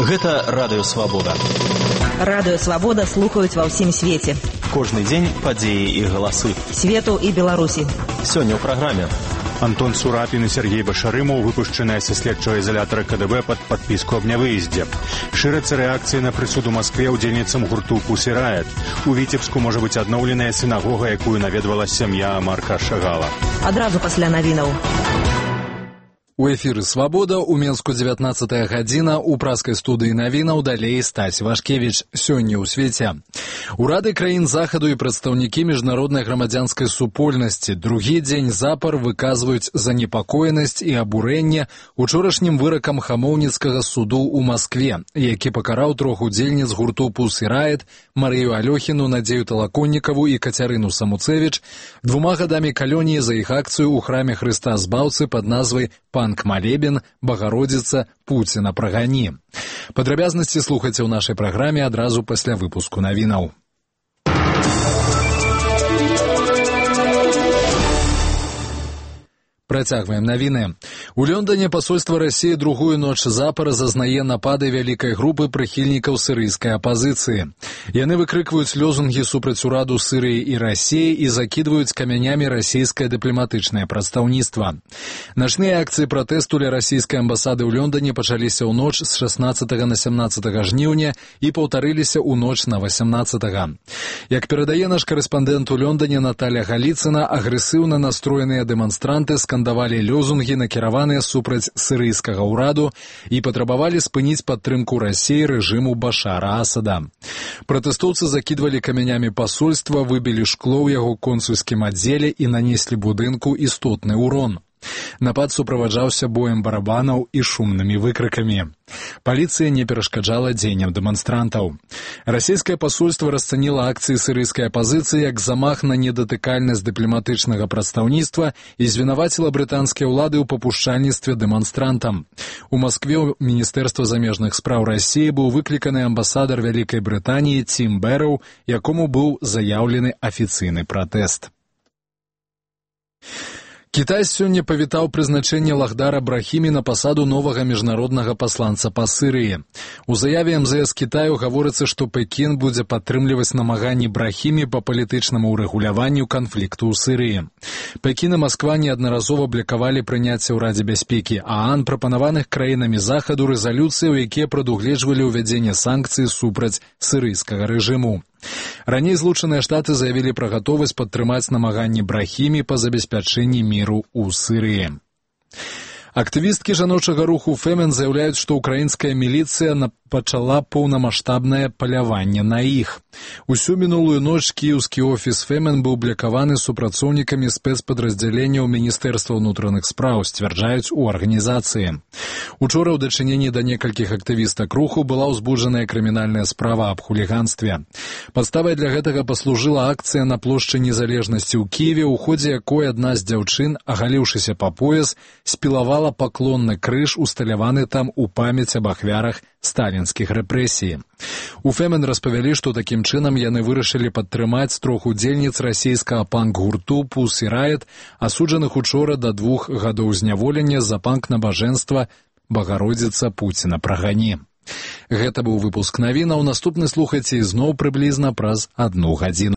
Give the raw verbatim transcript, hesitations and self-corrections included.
Гэта Радыё Свабода. Радыё Свабода слухаюць ва ўсім свеце. Кожны дзень падзеі і галасы. Свету і Беларусі. Сёння ў праграме. Антон Сурапін і Сергей Башарымаў выпушчаныя са следчага изолятора КДБ пад падпіску аб нявыездзе. Шырацца рэакцыі на прысуд у Маскве ўдзельніцам гурту «Пусі Райт». У Віцебску можа быць адноўленая сінагога, якую наведвала сям'я Марка Шагала. Адразу пасля навінаў. У эфіры «Свабода» у Менску дзевятнаццатая гадзіна, у праскай студыі навінаў далей Стась Вашкевіч. Сёння ў свеце. Урады краін захаду і прадстаўнікі міжнароднай грамадзянскай супольнасці другі дзень запар выказваюць занепакоенасць і абурэнне учорашнім выракам хамоўніцкага суду ў Маскве, які пакараў трох удзельніц гурту «Пусі Райт» Марыю Алёхіну, Надзею Талаконнікаву і Кацярыну Самуцевіч двума гадамі калоніі за іх акцыю ў храме Хрыста Збаўцы пад назвай «Панк Малебен, Багародзіца, Пуціна прагані». Падрабязнасці слухайце ў нашай праграме адразу пасля выпуску навінаў. Працягваем навіны. У Лондоне пасольства Расіі другую ноч запар зазнае напады вялікай групы прыхільнікаў сірыйскай апазіцыі. Яны выкрыкваюць лозунгі супраць ураду Сірыі і Расіі і закідваюць камянямі расійскае дыпламатычнае прадстаўніцтва. Начныя акцыі пратэсту ля расійскай амбасады ў Лондоне пачаліся ў ноч з шаснаццатага на сямнаццатага жніўня і паўтарыліся ў ноч на васямнаццатага. Як перадае наш карэспандэнт у Лондоне Наталя Галіцына, агрэсіўна настроеныя дэманстранты скандавалі лозунгі, накіраваныя супраць сірыйскага ўраду і патрабавалі спыніць падтрымку Расіі рэжыму Башара Асада. Пратэстоўцы закідвалі камянямі пасольства, выбілі шкло ў яго консульскім аддзеле і нанеслі будынку істотны ўрон. Напад суправаджаўся боем барабанаў і шумнымі выкрыкамі. Паліцыя не перашкаджала дзеянням дэманстрантаў. Расійскае пасольства расцаніла акцыі сірыйскай апазіцыі як замах на недатыкальнасць дыпламатычнага прадстаўніцтва і звінаваціла брытанскія ўлады ў папушчальніцтве дэманстрантам. У Маскве ў Міністэрства замежных спраў Расіі быў выкліканы амбасадар Вялікай Брытаніі Тім Бэрроу, якому быў заяўлены афіцыйны пратэст. Кітай сёння павітаў прызначэнне Лахдара Брахімі на пасаду новага міжнароднага пасланца па Сірыі. У заяве эм зэ эс Кітаю гаворыцца, што Пекін будзе падтрымліваць намаганні Брахімі па палітычнаму ўрэгуляванню канфлікту ў Сірыі. Пекін і Масква неаднаразова блакавалі прыняцце ў Радзе бяспекі ААН прапанаваных краінамі захаду рэзалюцыі, у якія прадугледжвалі ўвядзенне санкцый супраць сірыйскага рэжыму. Раней Злучаныя Штаты заявілі пра гатовасць падтрымаць намаганні Брахімі па забеспячэнні міру ў Сірыі. Актывісткі жаночага руху Фемен заяўляюць, што ўкраінская міліцыя пачала поўнамаштабнае паляванне на іх. Усю мінулую ноч кіеўскі офіс Фемен быў блакаваны супрацоўнікамі спецпадраздзяленняў Міністэрства ўнутраных спраў, сцвярджаюць у арганізацыі. Учора ў дачыненні да некалькіх актывістак руху была ўзбуджаная крымінальная справа аб хуліганстве. Падставай для гэтага паслужыла акцыя на плошчы Незалежнасці ў Кіеве, у ходзе якой адна з дзяўчын, агаліўшыся па пояс, спілавала паклонны крыж, усталяваны там у памяць аб ахвярах сталінскіх рэпрэсій. У Фемен распавялі, што такім чынам яны вырашылі падтрымаць трох удзельніц расійскага панк-гурту «Пусі Райт», асуджаных учора да двух гадоў зняволення за панк-набажэнства «Багародзіца, Пуціна прагані». Гэта быў выпуск навінаў. Наступны слухайце ізноў прыблізна праз адну гадзіну.